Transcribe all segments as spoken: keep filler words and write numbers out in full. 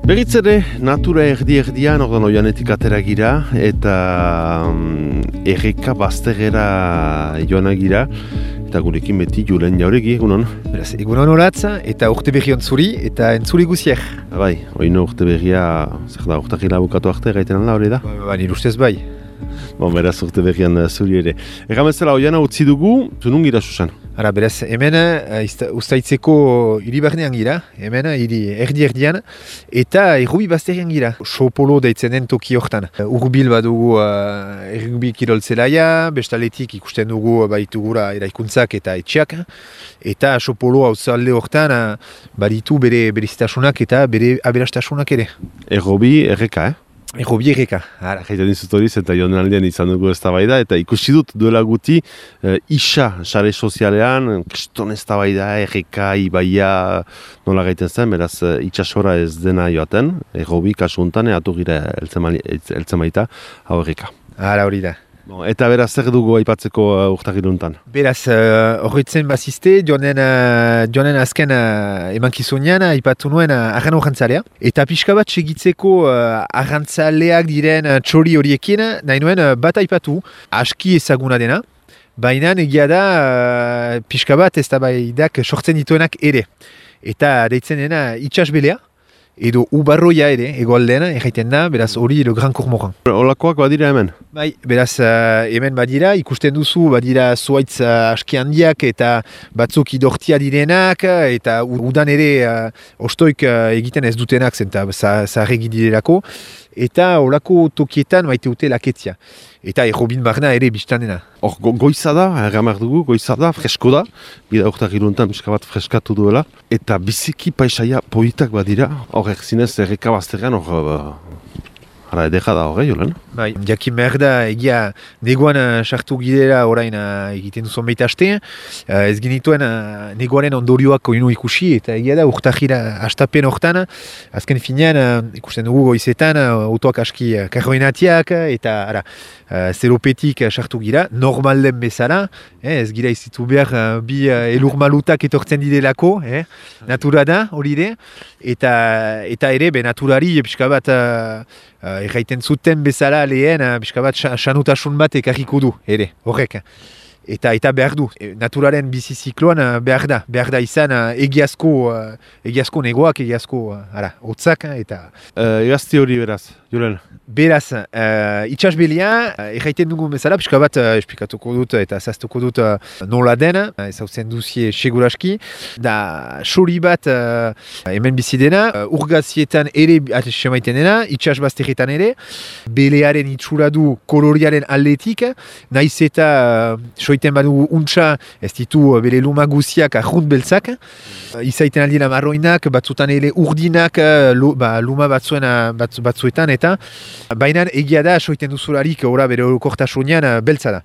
Berriz ere, natura erdi-erdian ordan oianetik atera gira, eta um, erreka baztegera joana gira, eta gurekin beti Julen Jauregi, egunon. Beraz, egunon horatza, eta urte berri ontzuri, eta entzuri guziek. Bai, oino urte berria, zer da, urtakila bukatu arte gaiten alda hori da? Ba, ba, nire ustez bai. Bon, beraz urte berrian zuri ere. Egamezela, oiana utzi dugu, zunun gira susan? Ara, beraz, hemen uh, ustaitzeko hiri barnean gira, hemen hiri erdi-erdian, eta errubi bazterian gira. Sopolo deitzen den toki hortan. Uh, Urbil badugu uh, errubi kiroltzelaia, bestaletik ikusten dugu baitugura eraikuntzak eta etxeak, eta Sopolo hauzalde hortan uh, baditu bere beriztasunak eta bere aberastasunak ere. Errobi erreka, eh? Errobi erreka. Jaiten dizut horiz eta joan aldean izan dugu eztabaida eta ikusi dut duela guti e, isa sare sozialean, kriston eztabaida, erreka, ibaia nola gaiten zen, beraz itxasora ez dena joaten, errobi kasu honetan eatu gira eltzen baita hau erreka. Hala hori da. Bon, eta beraz zer dugu aipatzeko uh, urtagiruntan? Beraz, uh, horretzen bazizte, joanen, uh, joanen azken uh, emankizunean aipatu nuen uh, arran horrentzalea. Eta pixka bat segitzeko uh, arrantzaleak diren uh, txori horiekin, nahi nuen uh, bat aipatu, aski ezaguna dena, baina egia da uh, pixka bat ez da baidak sortzen dituenak ere. Eta deitzen dena itxasbelea, edo ubarroia ere, egoaldean, erraiten da, beraz hori le Gran Cormoran. Olakoak badira hemen? Bai, beraz uh, hemen badira, ikusten duzu, badira zuaitz uh, aski handiak eta batzuk idortia direnak, eta udan ere uh, ostoik uh, egiten ez dutenak zen, eta zaharregi direlako, eta olako tokietan maite dute laketzia. Eta errobin barna ere biztanena. Hor, go goiza da, erramar dugu, goiza da, fresko da, bida urtagiruntan pixka bat freskatu duela, eta biziki paisaia politak badira, hor erzinez erreka bazterrean, hor, ara edera da horre, Jolen? Bai, jakin behar da, egia negoan sartu uh, gidera orain uh, egiten duzon baita aste, uh, ez genituen uh, negoaren ondorioak oinu ikusi, eta egia da urtajira astapen hortan, azken finean uh, ikusten dugu goizetan, uh, autoak aski uh, karroinatiak, eta ara, uh, zeropetik uh, sartu gira, normal den bezala, eh, ez gira izitu behar uh, bi uh, elur malutak etortzen didelako, eh, natura da, hori ere, eta, eta ere, be naturari, pixka bat, uh, Uh, erraiten zuten bezala lehen, uh, pixka bat sanutasun bat ekarriko du, ere, horrek. Eta eta behar du, e, naturaren bizizikloan uh, behar da, behar da izan uh, egiazko, uh, egiazko negoak, egiazko, uh, ara, hotzak, eta... Uh, Egazti hori beraz, Julen? Beraz, uh, itxasbelia, uh, erraiten dugu bezala, pixka bat uh, esplikatuko dut eta zaztuko dut uh, nola den, uh, ezautzen duzie seguraski, da sori bat uh, hemen bizi dena, uh, urgazietan ere atxemaiten dena, itxasbazterretan ere, belearen itxura du koloriaren aldetik, naiz eta uh, soiten badugu untxa, ez ditu uh, bere luma guziak arrunt beltzak, uh, izaiten aldina marroinak, batzutan ere urdinak, uh, lo, ba, luma batzuen, uh, batzu, batzuetan, eta baina egia da, soiten duzularik ora bere orokortasunean uh, beltza da.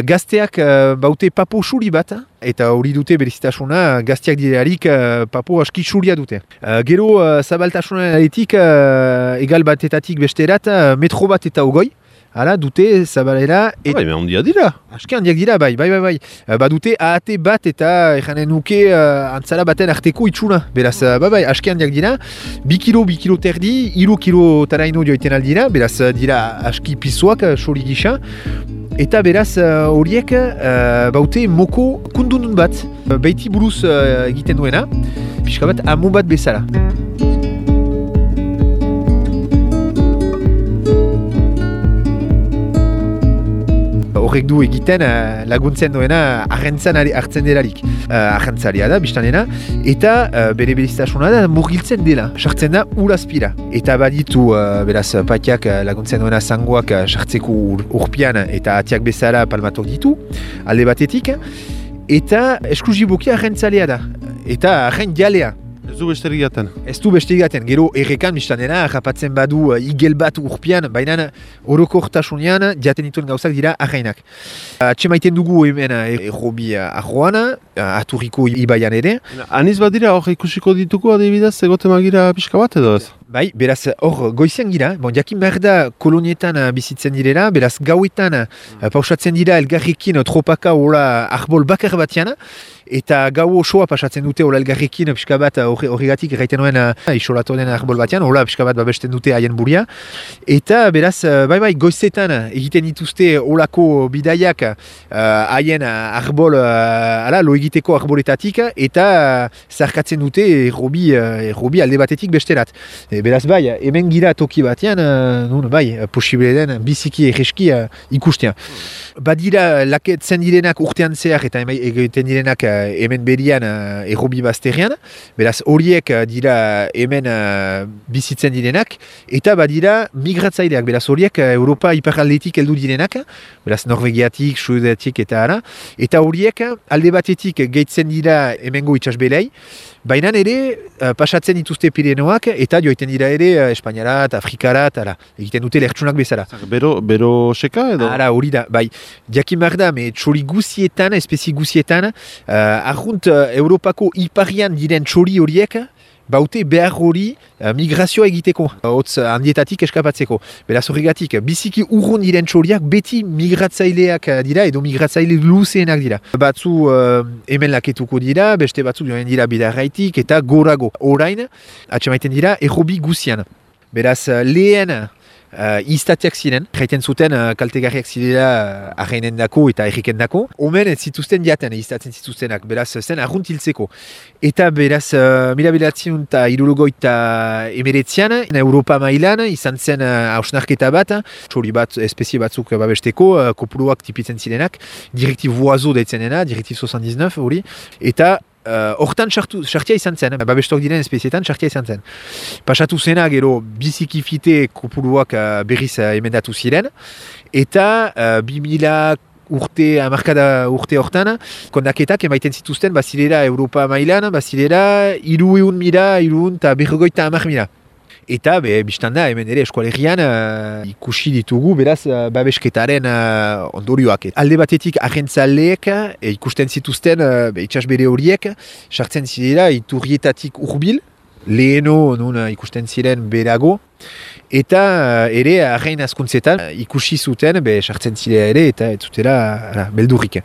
Gazteak uh, baute papo xuri bat, eta hori dute berezitasuna, gazteak direlarik uh, papo aski xuria dute. Uh, gero uh, zabaltasunaretik uh, egal batetatik besterat, uh, metro bat eta ogoi, hala, dute zabalera... Et... Bai, me handia dira. Aski handiak dira, bai, bai, bai, bai. Uh, badute ahate bat eta ekanen nuke uh, antzala baten arteko itxuna. Beraz, uh, bai, bai, aski handiak dira. Bi kilo, bi kilo terdi, iru kilo taraino joiten aldira. Beraz, uh, dira aski pizuak, soli gisa. Eta beraz, horiek uh, baute moko kundun bat. Uh, Beiti buruz uh, egiten duena, pixka bat amo bat bezala. Horrek du egiten uh, laguntzen duena arrentzan hartzen delarik. Uh, Arrentzalia da, biztanena, eta uh, bere beriztasuna da murgiltzen dela, sartzen da urazpira. Eta baditu, uh, beraz, patiak uh, laguntzen duena zangoak uh, sartzeko ur, urpian eta atiak bezala palmatok ditu, alde batetik, eta esklusiboki arrentzalea da, eta arren jalea. Ez du besterik jaten. Ez du beste egaten, gero errekan biztan dena, rapatzen badu uh, igel bat urpian, baina orokortasunean jaten dituen gauzak dira ahainak. Atxemaiten dugu hemen errobi uh, arroan, uh, aturriko ibaian ere. Aniz bat dira, hor ikusiko dituko adibidez, egote magira pixka bat edo ez? Bai, beraz, hor goizean gira, bon, jakin behar da kolonietan uh, bizitzen direla, beraz gauetan uh, pausatzen dira elgarrekin uh, tropaka hola arbol bakar batean, eta gau osoa pasatzen dute hola elgarrekin pixka bat horregatik uh, erraiten nuen uh, isolatu den arbol batean, hola pixka bat babesten dute haien buria, eta beraz, uh, bai bai, goizetan uh, egiten dituzte holako bidaiak haien uh, arbol, uh, ala, lo egiteko arboletatik, eta uh, zarkatzen dute errobi, uh, errobi alde batetik besterat. E, beraz bai, hemen gira toki batean, uh, nun, bai, posible den biziki egeski uh, ikustea. Badira laketzen direnak urtean zehar eta egiten direnak uh, hemen berian uh, errobi bazterrean, beraz horiek uh, dira hemen uh, bizitzen direnak, eta badira migratzaileak, beraz horiek uh, Europa iparaldetik heldu direnak, beraz Norvegiatik, Suedatik eta ara, eta horiek alde batetik gehitzen dira hemengo itsasbelei, baina ere uh, pasatzen dituzte Pirenoak eta joiten dira ere uh, Espainiarat, Afrikarat, ara, egiten dute lertsunak bezala. Bero, bero seka edo? Ara, hori da, bai. Jakin behar da, me txori guzietan, espezie guzietan, uh, arrunt uh, Europako iparian diren txori horiek, baute behar hori uh, migrazioa egiteko, hotz uh, handietatik eskapatzeko. Beraz horregatik, biziki urrun diren txoriak beti migratzaileak uh, dira, edo migratzaile luzeenak dira. Batzu uh, hemen laketuko dira, beste batzu joan dira bidarraitik, eta gorago. Orain, atxemaiten dira, errobi guzian. Beraz, uh, lehen Uh, iztatiak ziren, jaiten zuten uh, kaltegarriak zirela uh, arrainen dako eta erriken dako. Omen ez zituzten jaten, iztatzen zituztenak, beraz zen arrunt hiltzeko. Eta beraz, uh, mila bederatziehun eta hirurogeita emeretzian, Europa mailan izan zen uh, hausnarketa bat, txori bat, espezie batzuk babesteko, uh, kopuruak tipitzen zirenak, direktib voazo deitzen dena, direktib soixante-dix-neuf hori, eta hortan uh, sartia izan zen, babestok diren espezietan sartia izan zen. Pasatu zena gero biziki fite kopuruak uh, berriz uh, emendatu ziren, eta uh, bi mila urte, amarkada urte hortan, kondaketak emaiten zituzten bazilera Europa mailan, bazilera hiru ehun mila, hiru ehun eta berrogeita hamar mila. Eta, be, biztan da, hemen ere eskualerian uh, ikusi ditugu, beraz, uh, babesketaren uh, ondorioak. Alde batetik, agentzaleek uh, ikusten zituzten uh, itsasbere horiek, sartzen zirela iturrietatik urbil, leheno nun uh, ikusten ziren berago, eta uh, ere, arrain askuntzetan uh, ikusi zuten, be, sartzen zirela ere, eta ez zutela uh, beldurrik.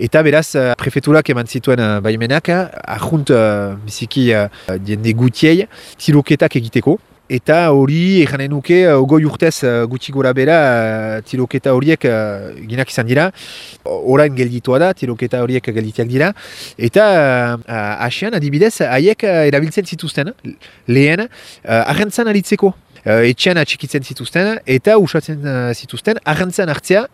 Eta beraz, uh, prefeturak eman zituen uh, baimenak, arjunt uh, biziki uh, diende gutiei, tiroketak egiteko. Eta hori, eranen nuke, ogoi urtez uh, gutxi gora bera, uh, tiroketa horiek uh, ginak izan dira. Orain gelditua da, tiroketa horiek gelditiak dira. Eta uh, asian, adibidez, haiek uh, erabiltzen zituzten, lehen, uh, arrentzan aritzeko. Uh, etxean atxikitzen zituzten, eta usatzen uh, zituzten, arrentzan hartzea,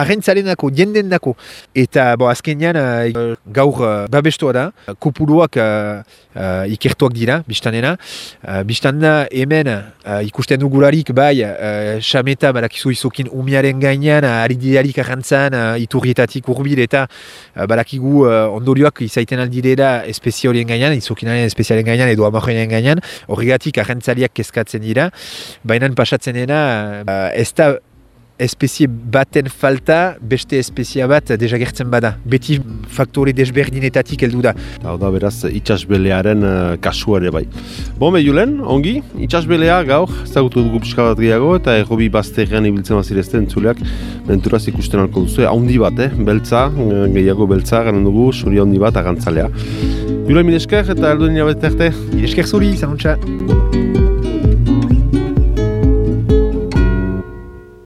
arrentzarenako, jendendako. Eta bo, azkenean uh, gaur uh, babestua da, kopuruak uh, uh, ikertuak dira, biztanena. Uh, biztanda hemen uh, ikusten dugularik bai, uh, xameta badakizu izokin umiaren gainean, uh, aridiarik arrantzan, uh, iturrietatik urbil, eta uh, badakigu uh, ondorioak izaiten aldirela espezie horien gainean, izokinaren espezialen gainean, edo amarroinen gainean, horregatik arrantzaliak kezkatzen dira, baina pasatzen dena uh, ez da espezie baten falta, beste espezia bat desagertzen bada. Beti faktore desberdinetatik heldu da. Hau da, beraz, itsasbelearen uh, kasua ere bai. Bon, Julen, ongi, itsasbelea gaur, ezagutu dugu pixka bat gehiago, eta errobi bazterrean ibiltzen bazirezten entzuleak, menturaz ikusten alko duzu, haundi bat, eh? Beltza, gehiago beltza, garen dugu, suri haundi bat, agantzalea. Julen, mil esker, eta alduen jabete arte. Mil esker zuri, zanuntza.